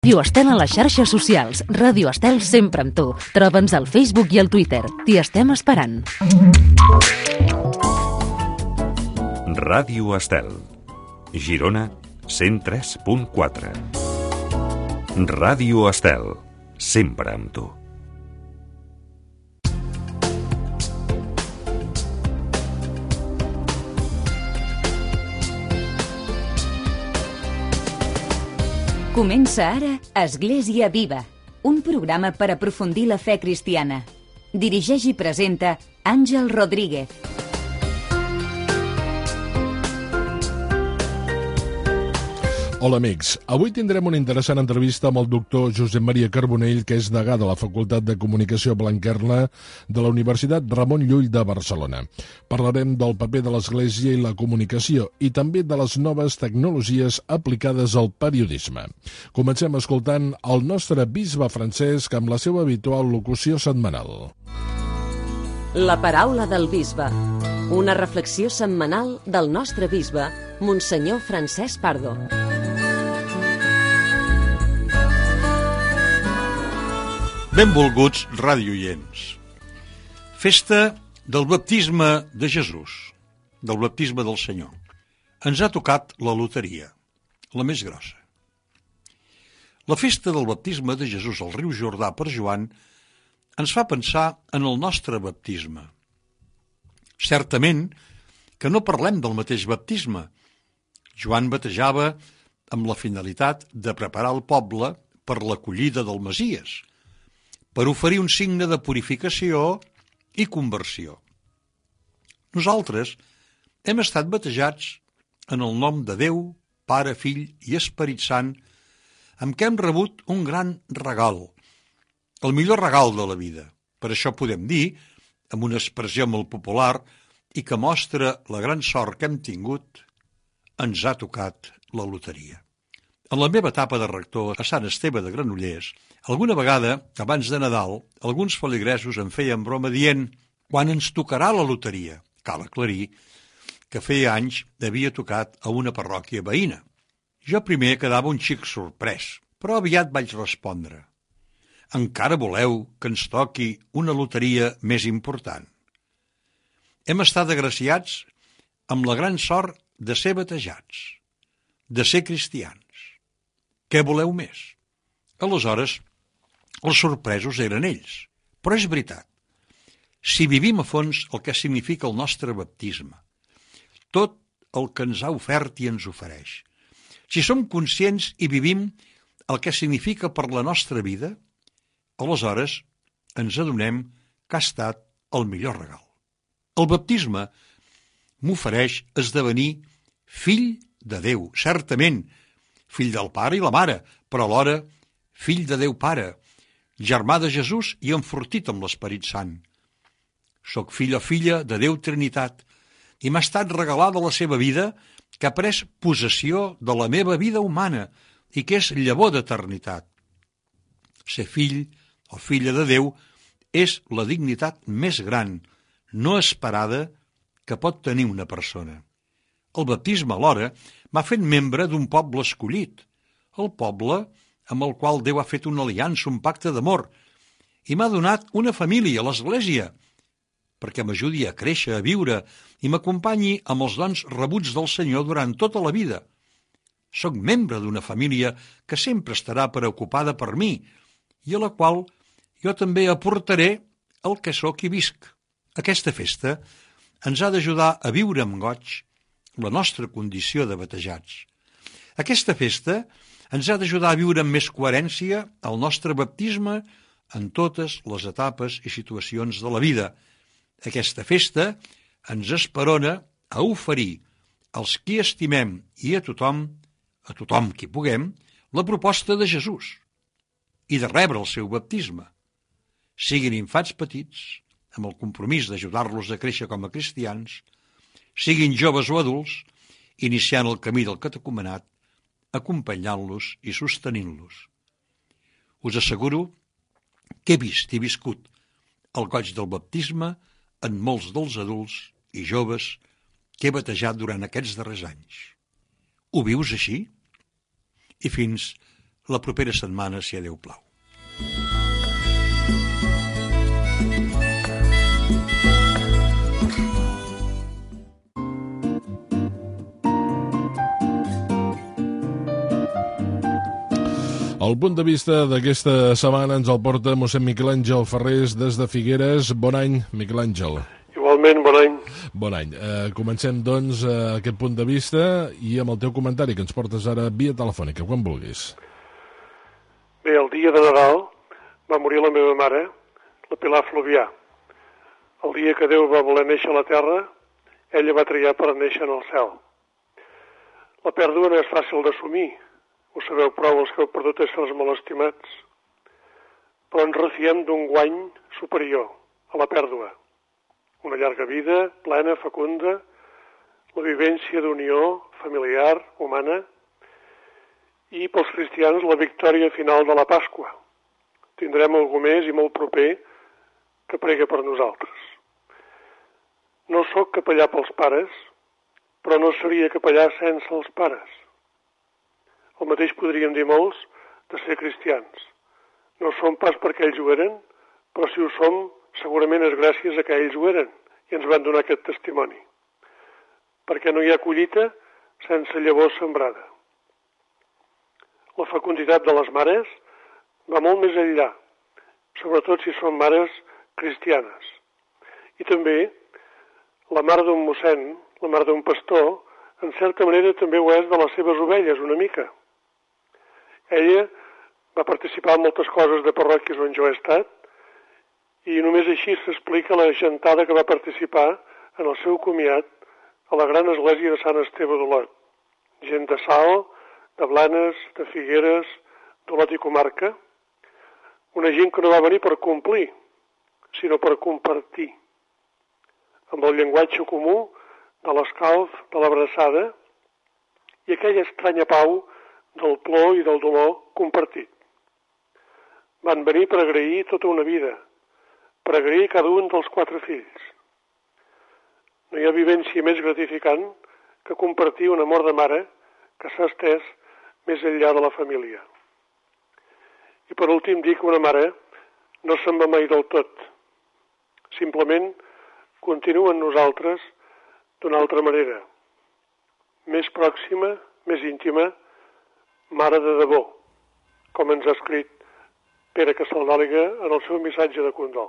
Ràdio Estel a les xarxes socials. Ràdio Estel sempre amb tu. Troba'ns al Facebook i al Twitter. T'hi estem esperant. Ràdio Estel. Girona 103.4. Ràdio Estel. Sempre amb tu. Comença ara Església Viva, un programa per aprofundir la fe cristiana. Dirigeix i presenta Àngel Rodríguez. Hola amics, avui tindrem una interessant entrevista amb el doctor Josep Maria Carbonell, que és degà de la Facultat de Comunicació Blanquerna de la Universitat Ramon Llull de Barcelona. Parlarem del paper de l'Església i la comunicació i també de les noves tecnologies aplicades al periodisme. Comencem escoltant el nostre bisbe Francesc amb la seva habitual locució setmanal. La paraula del bisbe. Una reflexió setmanal del nostre bisbe, Monsenyor Francesc Pardo. Benvolguts radioients. Festa del baptisme de Jesús, del baptisme del Senyor. Ens ha tocat la loteria, la més grossa. La festa del baptisme de Jesús al riu Jordà per Joan ens fa pensar en el nostre baptisme. Certament que no parlem del mateix baptisme. Joan batejava amb la finalitat de preparar el poble per l'acollida del Messies, per oferir un signe de purificació i conversió. Nosaltres hem estat batejats en el nom de Déu, Pare, Fill i Esperit Sant, amb què hem rebut un gran regal, el millor regal de la vida. Per això podem dir, amb una expressió molt popular i que mostra la gran sort que hem tingut, ens ha tocat la loteria. En la meva etapa de rector a Sant Esteve de Granollers, alguna vegada, abans de Nadal, alguns feligresos em feien broma dient «Quan ens tocarà la loteria?» Cal aclarir que feia anys havia tocat a una parròquia veïna. Jo primer quedava un xic sorprès, però aviat vaig respondre «Encara voleu que ens toqui una loteria més important?» Hem estat agraciats amb la gran sort de ser batejats, de ser cristians. Què voleu més? Aleshores, els sorpresos eren ells. Però és veritat, si vivim a fons el que significa el nostre baptisme, tot el que ens ha ofert i ens ofereix, si som conscients i vivim el que significa per la nostra vida, aleshores ens adonem que ha estat el millor regal. El baptisme m'ofereix esdevenir fill de Déu, certament, fill del Pare i la Mare, però alhora fill de Déu Pare, germà de Jesús i enfortit amb l'Esperit Sant. Soc fill o filla de Déu Trinitat i m'ha estat regalada la seva vida que ha pres possessió de la meva vida humana i que és llavor d'eternitat. Ser fill o filla de Déu és la dignitat més gran, no esperada, que pot tenir una persona. El baptisme, alhora, m'ha fet membre d'un poble escollit, el poble amb el qual Déu ha fet una aliança, un pacte d'amor, i m'ha donat una família, l'Església, perquè m'ajudi a créixer, a viure, i m'acompanyi amb els dons rebuts del Senyor durant tota la vida. Soc membre d'una família que sempre estarà preocupada per mi, i a la qual jo també aportaré el que sóc i visc. Aquesta festa ens ha d'ajudar a viure amb goig la nostra condició de batejats. Aquesta festa ens ha d'ajudar a viure amb més coherència el nostre baptisme en totes les etapes i situacions de la vida. Aquesta festa ens esperona a oferir als qui estimem i a tothom qui puguem, la proposta de Jesús i de rebre el seu baptisme. Siguin infants petits, amb el compromís d'ajudar-los a créixer com a cristians, siguin joves o adults, iniciant el camí del catecumenat, acompanyant-los i sostenint-los. Us asseguro que he vist i viscut el goig del baptisme en molts dels adults i joves que he batejat durant aquests darrers anys. Ho vius així? I fins la propera setmana, si a Déu plau. El punt de vista d'aquesta setmana ens el porta mossèn Miquel Àngel Ferrés des de Figueres. Bon any, Miquel Àngel. Igualment, bon any. Bon any. Comencem, doncs, aquest punt de vista i amb el teu comentari, que ens portes ara via telefònica, quan vulguis. Bé, el dia de Nadal va morir la meva mare, la Pilar Fluvià. El dia que Déu va voler néixer a la terra, ella va triar per néixer en el cel. La pèrdua no és fàcil d'assumir, ho sabeu prou els que heu perdut éssers molt estimats, però ens refiem d'un guany superior a la pèrdua. Una llarga vida, plena, fecunda, la vivència d'unió familiar, humana, i pels cristians la victòria final de la Pasqua. Tindrem algú més i molt proper que prega per nosaltres. No sóc capellà pels pares, però no seria capellà sense els pares. El mateix podríem dir molts de ser cristians. No som pas perquè ells ho eren, però si ho som, segurament és gràcies a que ells ho eren i ens van donar aquest testimoni. Perquè no hi ha collita sense llavor sembrada. La fecunditat de les mares va molt més enllà, sobretot si són mares cristianes. I també la mare d'un mossèn, la mare d'un pastor, en certa manera també ho és de les seves ovelles, una mica. Ella va participar en moltes coses de parròquies on jo he estat i només així s'explica la gentada que va participar en el seu comiat a la gran església de Sant Esteve d'Olot. Gent de Salt, de Blanes, de Figueres, d'Olot i comarca. Una gent que no va venir per complir, sinó per compartir. Amb el llenguatge comú de l'escalf, de l'abraçada i aquella estranya pau del plor i del dolor compartit. Van venir per agrair tota una vida, per agrair cada un dels 4 fills. No hi ha vivència més gratificant que compartir un amor de mare que s'ha estès més enllà de la família. I per últim dir que una mare no se'n va mai del tot. Simplement continua en nosaltres d'una altra manera, més pròxima, més íntima, mare de debò, com ens ha escrit Pere Casaldàliga en el seu missatge de condol.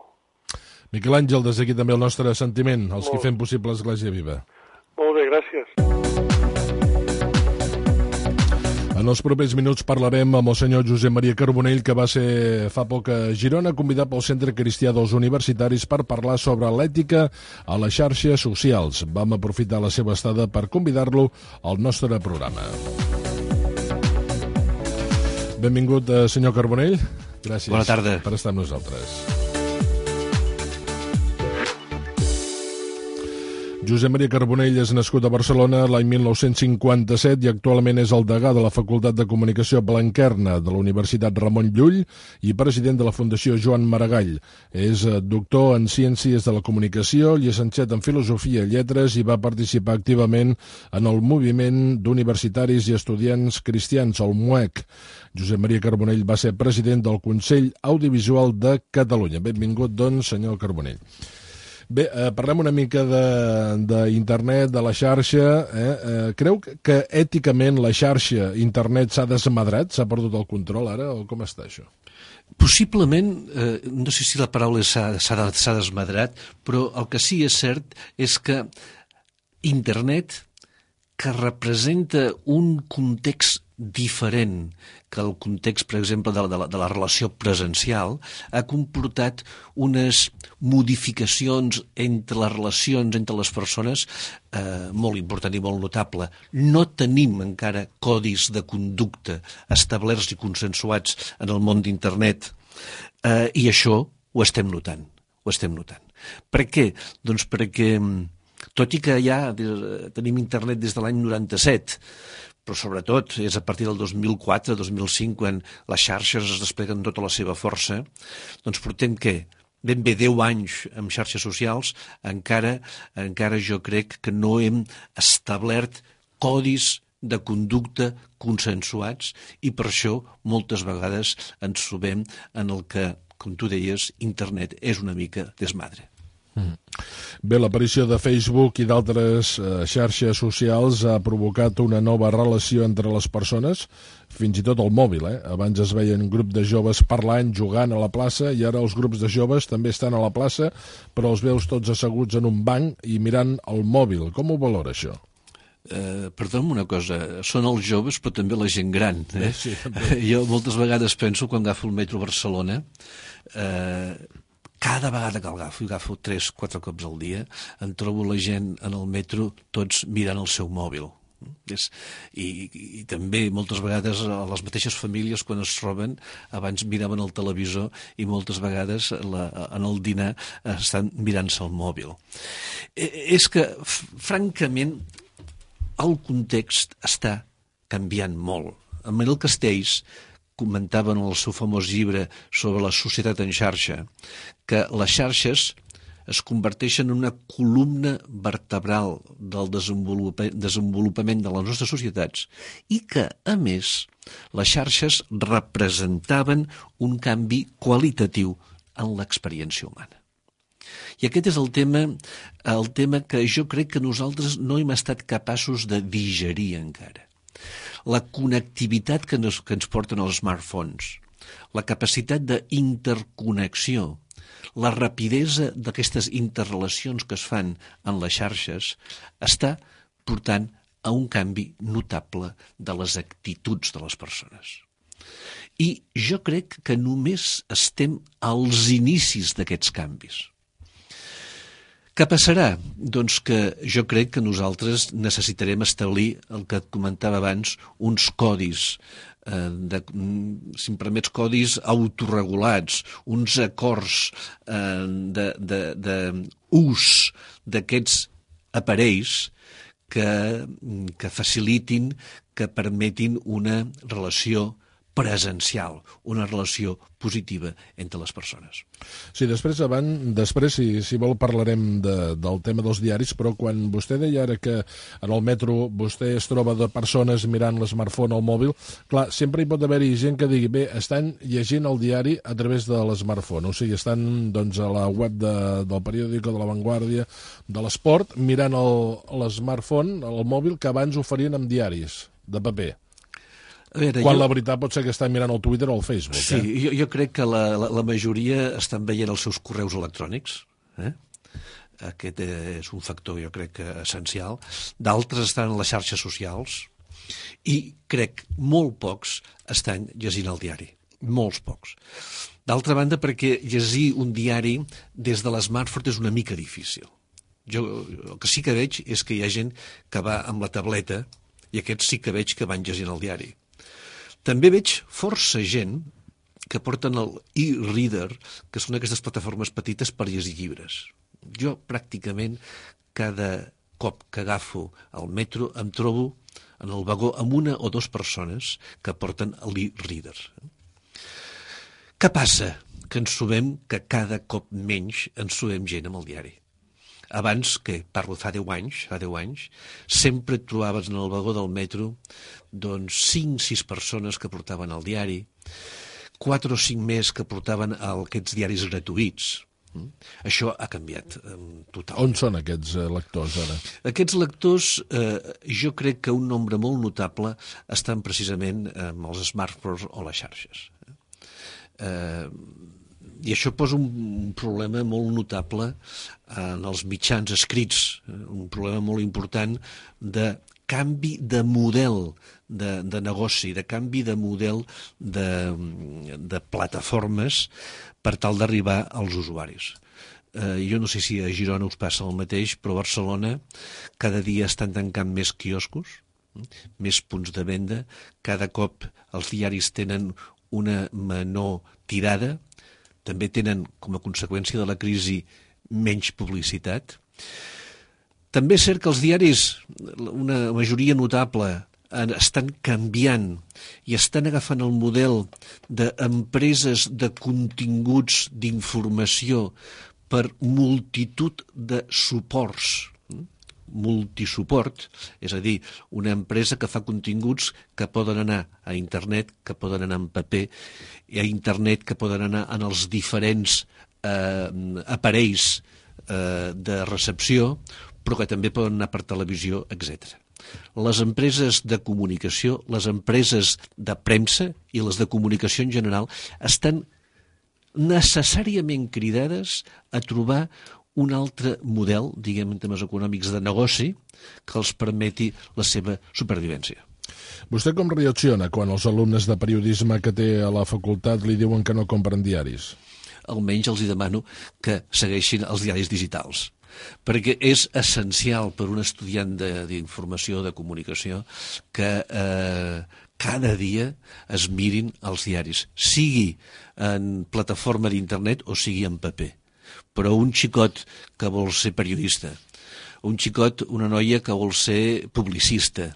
Miquel Àngel, des d'aquí també el nostre sentiment, els que fem possible l'Església Viva. Molt bé, gràcies. En els propers minuts parlarem amb el senyor Josep Maria Carbonell, que va ser fa poc a Girona, convidat pel Centre Cristià dels Universitaris per parlar sobre l'ètica a les xarxes socials. Vam aprofitar la seva estada per convidar-lo al nostre programa. Benvingut, senyor Carbonell. Gràcies. Bona tarda. Per estar amb nosaltres. Josep Maria Carbonell és nascut a Barcelona l'any 1957 i actualment és el degà de la Facultat de Comunicació Blanquerna de la Universitat Ramon Llull i president de la Fundació Joan Maragall. És doctor en Ciències de la Comunicació, llicenciat en Filosofia i Lletres i va participar activament en el moviment d'universitaris i estudiants cristians, el MUEC. Josep Maria Carbonell va ser president del Consell Audiovisual de Catalunya. Benvingut, doncs, senyor Carbonell. Bé, parlem una mica d'internet, de la xarxa. Creu que èticament la xarxa, internet, s'ha desmadrat? S'ha perdut el control ara? O com està això? Possiblement, no sé si la paraula s'ha desmadrat, però el que sí és cert és que internet, que representa un context diferent que el context, per exemple, de la relació presencial, ha comportat unes modificacions entre les relacions entre les persones molt important i molt notable. No tenim encara codis de conducta establerts i consensuats en el món d'internet i això ho estem notant. Per què? Doncs perquè, tot i que ja tenim internet des de l'any 97, però sobretot és a partir del 2004-2005 quan les xarxes es despleguen tota la seva força, doncs portem què? Ben bé 10 anys amb xarxes socials, encara jo crec que no hem establert codis de conducta consensuats, i per això moltes vegades ens trobem en el que, com tu deies, internet és una mica desmadre. Bé, l'aparició de Facebook i d'altres xarxes socials ha provocat una nova relació entre les persones, fins i tot el mòbil. Abans es veien grups de joves parlant, jugant a la plaça, i ara els grups de joves també estan a la plaça, però els veus tots asseguts en un banc i mirant el mòbil. Com ho valora, això? Perdona'm una cosa, són els joves però també la gent gran. Sí, jo moltes vegades penso, quan agafo el metro a Barcelona, cada vegada que agafo 3-4 cops al dia, em trobo la gent en el metro tots mirant el seu mòbil. I també moltes vegades les mateixes famílies, quan es troben, abans miraven el televisor i moltes vegades en el dinar estan mirant-se el mòbil. És que, francament, el context està canviant molt. En Manel Castells comentava en el seu famós llibre sobre la societat en xarxa que les xarxes es converteixen en una columna vertebral del desenvolupament de les nostres societats i que, a més, les xarxes representaven un canvi qualitatiu en l'experiència humana. I aquest és el tema que jo crec que nosaltres no hem estat capaços de digerir encara. La connectivitat que ens porten els smartphones, la capacitat d'interconnexió, la rapidesa d'aquestes interrelacions que es fan en les xarxes està portant a un canvi notable de les actituds de les persones. I jo crec que només estem als inicis d'aquests canvis. Què passarà? Doncs que jo crec que nosaltres necessitarem establir el que et comentava abans, uns codis, si em permets, codis autorregulats, uns acords d'ús d'aquests aparells que facilitin, que permetin una relació presencial, una relació positiva entre les persones. Sí, després, si vol, parlarem del tema dels diaris, però quan vostè deia ara que en el metro vostè es troba de persones mirant l'smartphone o el mòbil, clar, sempre hi pot haver-hi gent que digui, bé, estan llegint el diari a través de l'smartphone, o sigui, estan doncs, a la web del periòdico, de La Vanguardia, de l'Esport, mirant l'smartphone, el mòbil, que abans ho farien amb diaris de paper. Quan la veritat pot ser que estan mirant el Twitter o el Facebook. Sí, jo crec que la majoria estan veient els seus correus electrònics. Aquest és un factor, jo crec, essencial. D'altres estan en les xarxes socials i crec molt pocs estan llegint el diari. Molts pocs. D'altra banda, perquè llegir un diari des de l'smartphone és una mica difícil. Jo el que sí que veig és que hi ha gent que va amb la tableta i aquests sí que veig que van llegint el diari. També veig força gent que porten el e-reader, que són aquestes plataformes petites per llegir llibres. Jo pràcticament cada cop que agafo el metro em trobo en el vagó amb una o dues persones que porten l'e-reader. Què passa? Que ens trobem que cada cop menys ens trobem gent amb el diari. Abans, que parlo fa 10 anys, sempre et trobaves en el vagó del metro 5-6 persones que portaven el diari, 4 o 5 més que portaven aquests diaris gratuïts. Això ha canviat totalment. On són aquests lectors ara? Aquests lectors, jo crec que un nombre molt notable estan precisament amb els smartphones o les xarxes. I això posa un problema molt notable en els mitjans escrits, un problema molt important de canvi de model de negoci, de canvi de model de plataformes per tal d'arribar als usuaris. Jo no sé si a Girona us passa el mateix, però a Barcelona cada dia estan tancant més quioscos, més punts de venda, cada cop els diaris tenen una menor tirada, també tenen, com a conseqüència de la crisi, menys publicitat. També és cert que els diaris, una majoria notable, estan canviant i estan agafant el model d'empreses de continguts d'informació per multitud de suports. multisuport, és a dir, una empresa que fa continguts que poden anar a internet, que poden anar en paper, i a internet que poden anar en els diferents aparells de recepció, però que també poden anar per televisió, etc. Les empreses de comunicació, les empreses de premsa i les de comunicació en general estan necessàriament cridades a trobar un altre model, diguem en termes econòmics, de negoci que els permeti la seva supervivència. Vostè com reacciona quan els alumnes de periodisme que té a la facultat li diuen que no compren diaris? Almenys els demano que segueixin els diaris digitals, perquè és essencial per un estudiant d'informació, de comunicació, que cada dia es mirin els diaris, sigui en plataforma d'internet o sigui en paper. Però un xicot que vol ser periodista, un xicot, una noia que vol ser publicista,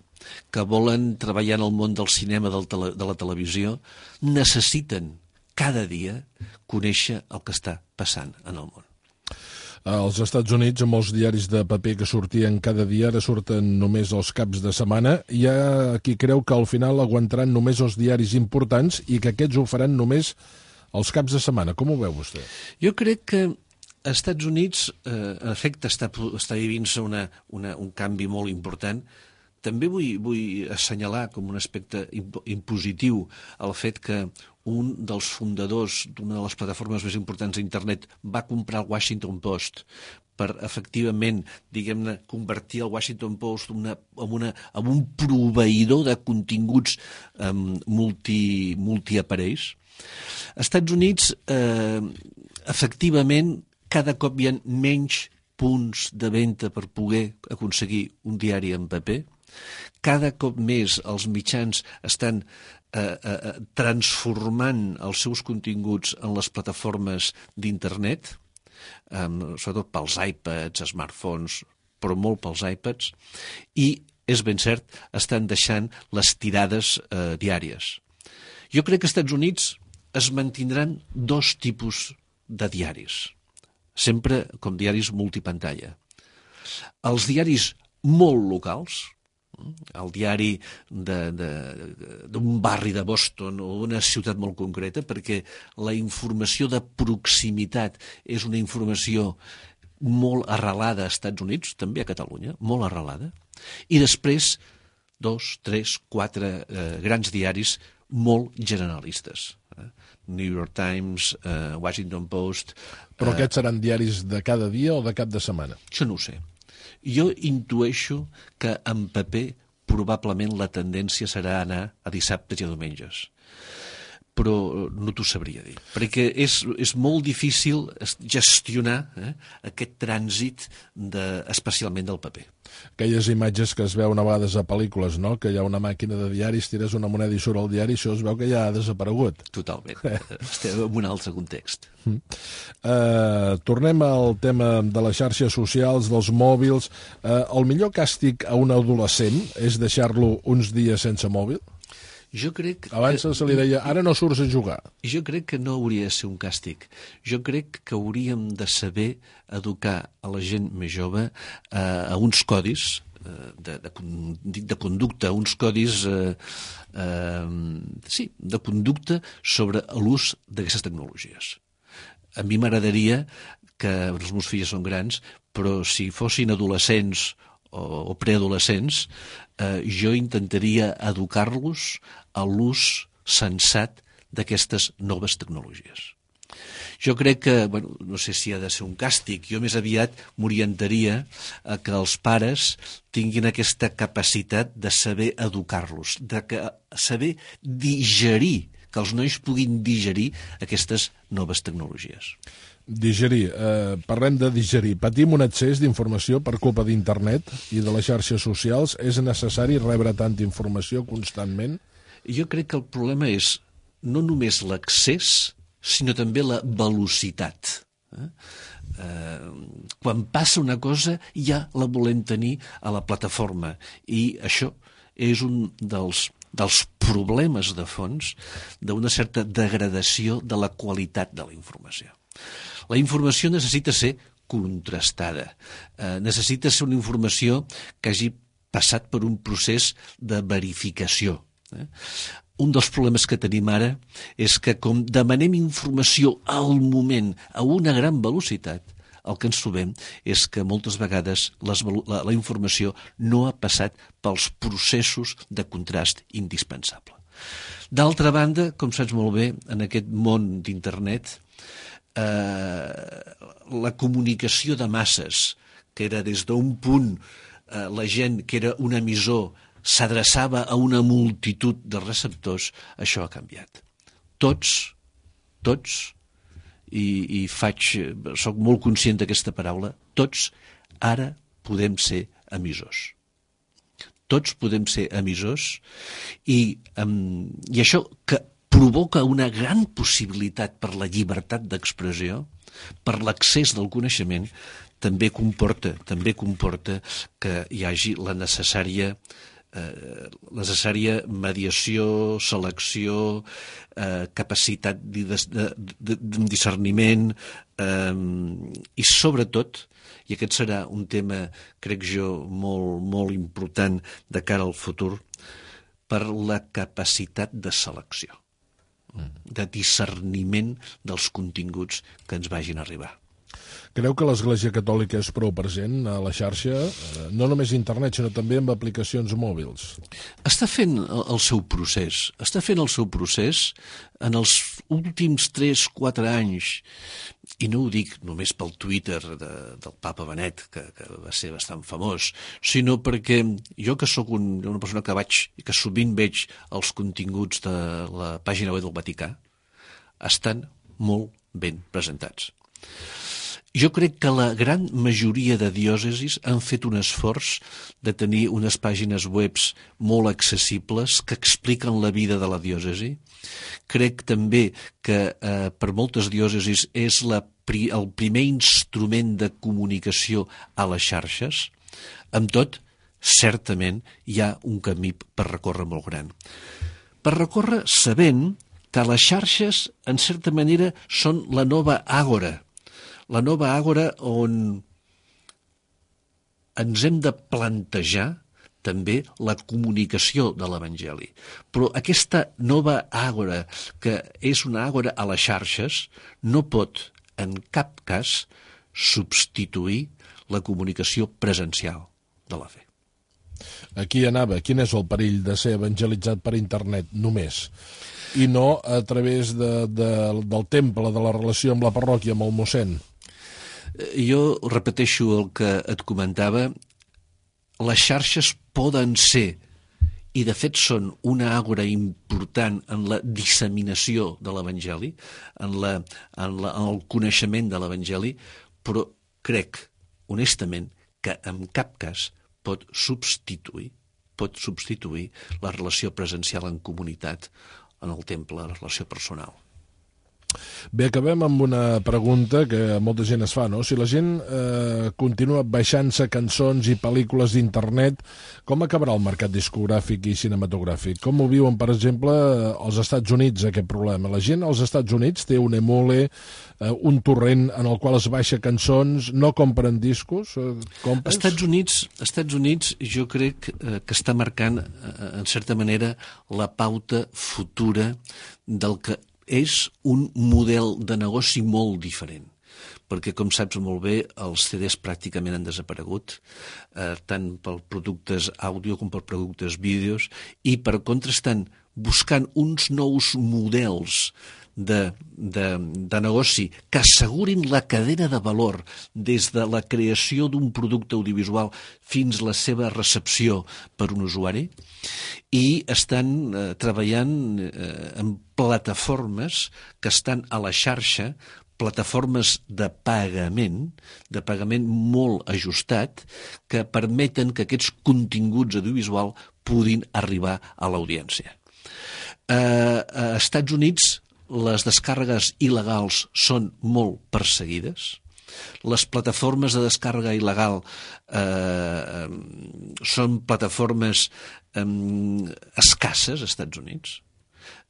que volen treballar en el món del cinema, de la televisió, necessiten cada dia conèixer el que està passant en el món. Als Estats Units, amb els diaris de paper que sortien cada dia, ara surten només els caps de setmana. Hi ha qui creu que al final aguantaran només els diaris importants i que aquests ho faran només els caps de setmana. Com ho veu vostè? Jo crec que als Estats Units, en efecte, està vivint-se un canvi molt important. També vull assenyalar com un aspecte impositiu el fet que un dels fundadors d'una de les plataformes més importants d'internet va comprar el Washington Post per, efectivament, diguem-ne, convertir el Washington Post en un proveïdor de continguts multiaparells. Als Estats Units, efectivament, cada cop hi ha menys punts de venda per poder aconseguir un diari en paper. Cada cop més els mitjans estan transformant els seus continguts en les plataformes d'internet, sobretot pels iPads, smartphones, però molt pels iPads, i, és ben cert, estan deixant les tirades diàries. Jo crec que als Estats Units es mantindran dos tipus de diaris, sempre com diaris multipantalla. Els diaris molt locals, el diari d'un barri de Boston o d'una ciutat molt concreta, perquè la informació de proximitat és una informació molt arrelada als Estats Units, també a Catalunya, molt arrelada, i després 2, 3, 4 grans diaris molt generalistes. New York Times, Washington Post... Però aquests seran diaris de cada dia o de cap de setmana? Això no ho sé. Jo intueixo que en paper probablement la tendència serà anar a dissabtes i a diumenges. Però no t'ho sabria dir, perquè és molt difícil gestionar aquest trànsit, especialment del paper. Aquelles imatges que es veuen a vegades a pel·lícules, no? Que hi ha una màquina de diaris, tires una moneda i surt el diari, això es veu que ja ha desaparegut. Totalment. Estem en un altre context. Tornem al tema de les xarxes socials, dels mòbils. El millor càstig a un adolescent és deixar-lo uns dies sense mòbil? Jo crec Abans se li deia, ara no surts a jugar. Jo crec que no hauria de ser un càstig. Jo crec que hauríem de saber educar a la gent més jove a uns codis de conducta, uns codis de conducta sobre l'ús d'aquestes tecnologies. A mi m'agradaria que els meus fills són grans, però si fossin adolescents o preadolescents, jo intentaria educar-los a l'ús sensat d'aquestes noves tecnologies. Jo crec que, no sé si ha de ser un càstig, jo més aviat m'orientaria a que els pares tinguin aquesta capacitat de saber educar-los, de saber digerir, que els nois puguin digerir aquestes noves tecnologies. Digerir. Parlem de digerir. Patim un excés d'informació per culpa d'internet i de les xarxes socials. És necessari rebre tanta informació constantment? Jo crec que el problema és no només l'accés, sinó també la velocitat. Quan passa una cosa ja la volem tenir a la plataforma, i això és un dels problemes de fons d'una certa degradació de la qualitat de la informació. La informació necessita ser contrastada. Necessita ser una informació que hagi passat per un procés de verificació. Un dels problemes que tenim ara és que com demanem informació al moment, a una gran velocitat, el que ens trobem és que moltes vegades la informació no ha passat pels processos de contrast indispensable. D'altra banda, com saps molt bé, en aquest món d'internet, la comunicació de masses, que era des d'un punt la gent que era un emissor s'adreçava a una multitud de receptors, això ha canviat. Tots, i soc molt conscient d'aquesta paraula, tots ara podem ser emissors. Tots podem ser emissors i això que provoca una gran possibilitat per la llibertat d'expressió, per l'accés del coneixement, també comporta que hi hagi la necessària mediació, selecció, capacitat de discerniment i sobretot, i aquest serà un tema, crec jo, molt important de cara al futur, per la capacitat de selecció, de discerniment dels continguts que ens vagin a arribar. Creu que l'Església Catòlica és prou present a la xarxa, no només a internet, sinó també amb aplicacions mòbils? Està fent el seu procés. En els últims 3-4 anys, i no ho dic només pel Twitter del papa Benet, que va ser bastant famós, sinó perquè jo que sóc una persona que sovint veig els continguts de la pàgina web del Vaticà, estan molt ben presentats. Jo crec que la gran majoria de diòcesis han fet un esforç de tenir unes pàgines webs molt accessibles que expliquen la vida de la diòcesi. Crec també que per moltes diòcesis és el primer instrument de comunicació a les xarxes. Amb tot, certament hi ha un camí per recórrer molt gran. Per recórrer sabent que les xarxes, en certa manera, són la nova àgora. La nova àgora on ens hem de plantejar també la comunicació de l'Evangeli. Però aquesta nova àgora, que és una àgora a les xarxes, no pot en cap cas substituir la comunicació presencial de la fe. Aquí anava. Quin és el perill de ser evangelitzat per internet només? I no a través del temple, de la relació amb la parròquia, amb el mossèn? Jo repeteixo el que et comentava. Les xarxes poden ser, i de fet són, una àgora important en la disseminació de l'Evangeli, en el coneixement de l'Evangeli, però crec, honestament, que en cap cas pot substituir la relació presencial en comunitat, en el temple, la relació personal. Bé, acabem amb una pregunta que molta gent es fa, no? Si la gent continua baixant-se cançons i pel·lícules d'internet, com acabarà el mercat discogràfic i cinematogràfic? Com ho viuen, per exemple, als Estats Units, aquest problema? La gent als Estats Units té un emule, un torrent en el qual es baixa cançons, no compren discos? Estats Units jo crec que està marcant, en certa manera, la pauta futura del que és un model de negoci molt diferent, perquè, com saps molt bé, els CDs pràcticament han desaparegut, tant per productes àudio com per productes vídeos, i per contra estan buscant uns nous models de negoci que assegurin la cadena de valor des de la creació d'un producte audiovisual fins a la seva recepció per un usuari, i estan treballant en plataformes que estan a la xarxa, plataformes de pagament molt ajustat, que permeten que aquests continguts audiovisuals puguin arribar a l'audiència. A Estats Units les descàrregues il·legals són molt perseguides. Les plataformes de descàrrega il·legal són plataformes escasses als Estats Units.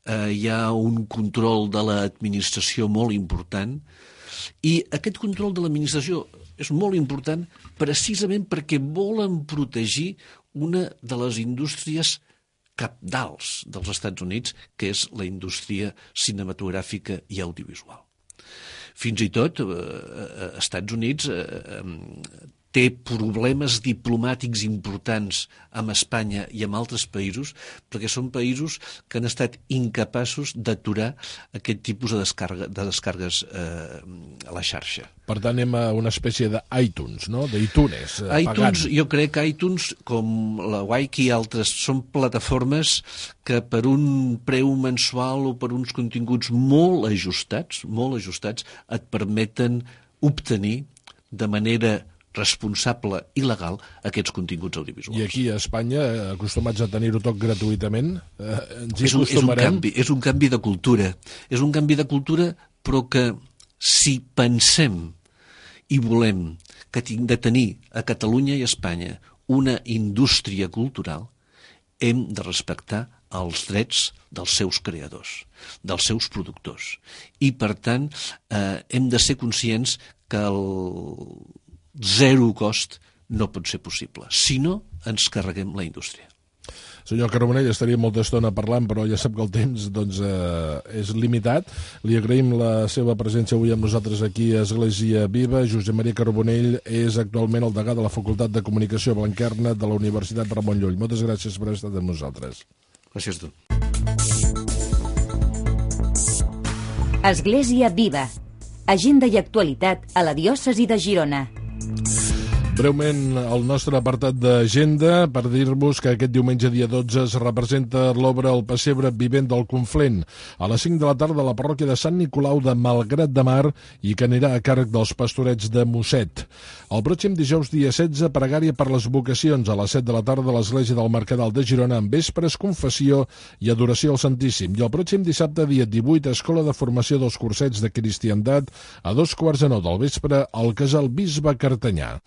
Hi ha un control de l'administració molt important. I aquest control de l'administració és molt important precisament perquè volen protegir una de les indústries cabdals dels Estats Units, que és la indústria cinematogràfica i audiovisual. Fins i tot, Estats Units té problemes diplomàtics importants amb Espanya i amb altres països, perquè són països que han estat incapaços d'aturar aquest tipus de descargues a la xarxa. Per tant, anem a una espècie d'iTunes, no? d'iTunes, iTunes, jo crec que iTunes, com la Wiki i altres, són plataformes que per un preu mensual o per uns continguts molt ajustats, et permeten obtenir de manera responsable i legal aquests continguts audiovisuals. I aquí a Espanya, acostumats a tenir-ho tot gratuïtament, ens hi és acostumarem? És un canvi de cultura. És un canvi de cultura, però que si pensem i volem que de tenir a Catalunya i a Espanya una indústria cultural, hem de respectar els drets dels seus creadors, dels seus productors. I, per tant, hem de ser conscients que el zero cost no pot ser possible. Si no, ens carreguem la indústria. Senyor Carbonell, estaria molta estona parlant, però ja sap que el temps és limitat. Li agraïm la seva presència avui amb nosaltres aquí a Església Viva. Josep Maria Carbonell és actualment el degà de la Facultat de Comunicació Blanquerna de la Universitat Ramon Llull. Moltes gràcies per haver estat amb nosaltres. Gràcies a tu. Església Viva. Agenda i actualitat a la diòcesi de Girona. Breument, el nostre apartat d'agenda per dir-vos que aquest diumenge dia 12 es representa l'obra El pessebre vivent del Conflent a les 5 de la tarda a la parròquia de Sant Nicolau de Malgrat de Mar i que anirà a càrrec dels pastorets de Mosset. El pròxim dijous dia 16, pregària per les vocacions a les 7 de la tarda a l'església del Mercadal de Girona amb vespres, confessió i adoració al Santíssim. I el pròxim dissabte dia 18, escola de formació dels cursets de cristiandat a 2:45 del vespre al casal Bisbe Cartanyà.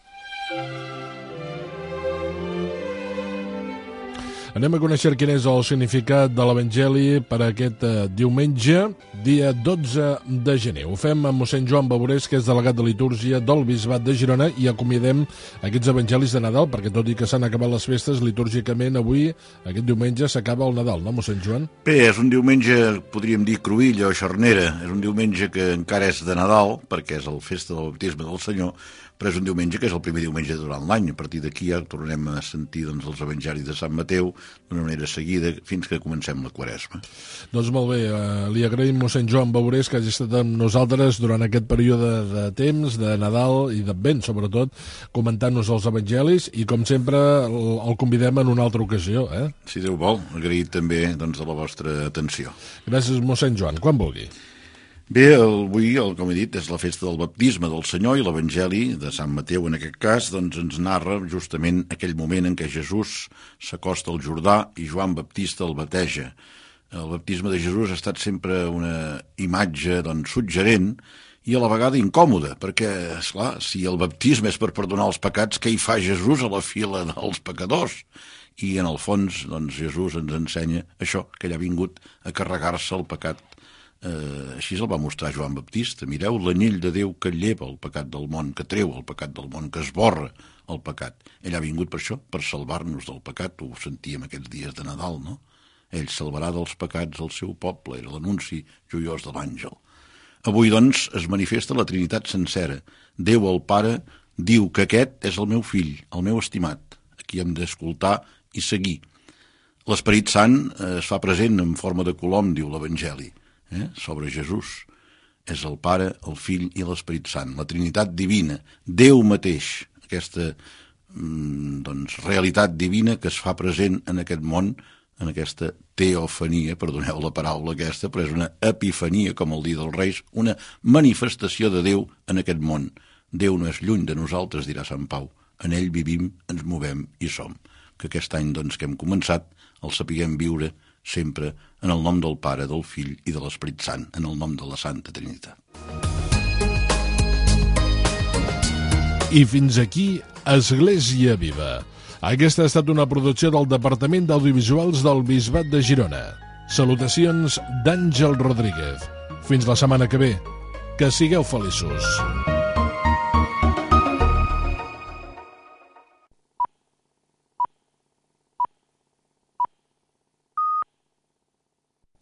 Anem a conèixer quin és el significat de l'Evangeli per aquest diumenge, dia 12 de gener. Ho fem amb mossèn Joan Bavorés, que és delegat de litúrgia del Bisbat de Girona, i acomiadem aquests evangelis de Nadal, perquè tot i que s'han acabat les festes, litúrgicament avui, aquest diumenge, s'acaba el Nadal, no, mossèn Joan? Bé, és un diumenge, podríem dir, cruïlla o xarnera. És un diumenge que encara és de Nadal, perquè és el festa del baptisme del Senyor, però és un diumenge que és el primer diumenge durant l'any. A partir d'aquí ja tornem a sentir els evangelis de Sant Mateu d'una manera seguida fins que comencem la Quaresma. Doncs molt bé, li agraïm mossèn Joan Bavorés que hagi estat amb nosaltres durant aquest període de temps, de Nadal i d'Advent, sobretot, comentant-nos els evangelis i, com sempre, el convidem en una altra ocasió. Si Déu vol, agraït també de la vostra atenció. Gràcies, mossèn Joan. Quan vulgui. Bé, avui, com he dit, és la festa del baptisme del Senyor i l'Evangeli de Sant Mateu, en aquest cas, doncs ens narra justament aquell moment en què Jesús s'acosta al Jordà i Joan Baptista el bateja. El baptisme de Jesús ha estat sempre una imatge suggerent i a la vegada incòmoda, perquè, esclar, si el baptisme és per perdonar els pecats, què hi fa Jesús a la fila dels pecadors? I en el fons, Jesús ens ensenya això, que ell ha vingut a carregar-se el pecat. Així el va mostrar Joan Baptista. Mireu l'anyell de Déu que lleva el pecat del món, que treu el pecat del món, que esborra el pecat. Ell ha vingut per això, per salvar-nos del pecat. Ho sentíem aquests dies de Nadal, no? Ell salvarà dels pecats el seu poble, era l'anunci joiós de l'àngel. Avui, doncs, es manifesta la Trinitat sencera. Déu, el Pare, diu que aquest és el meu fill, el meu estimat, a qui hem d'escoltar i seguir. L'Esperit Sant es fa present en forma de colom, diu l'Evangeli. Sobre Jesús. És el Pare, el Fill i l'Esperit Sant, la Trinitat divina, Déu mateix, aquesta realitat divina que es fa present en aquest món, en aquesta teofania, perdoneu la paraula aquesta, però és una epifania, com el dia dels Reis, una manifestació de Déu en aquest món. Déu no és lluny de nosaltres, dirà Sant Pau, en ell vivim, ens movem i som. Que aquest any, que hem començat, el sapiguem viure sempre en el nom del Pare, del Fill i de l'Esperit Sant, en el nom de la Santa Trinitat. I fins aquí, Església Viva. Aquesta ha estat una producció del Departament d'Audiovisuals del Bisbat de Girona. Salutacions d'Àngel Rodríguez. Fins la setmana que ve. Que sigueu feliços.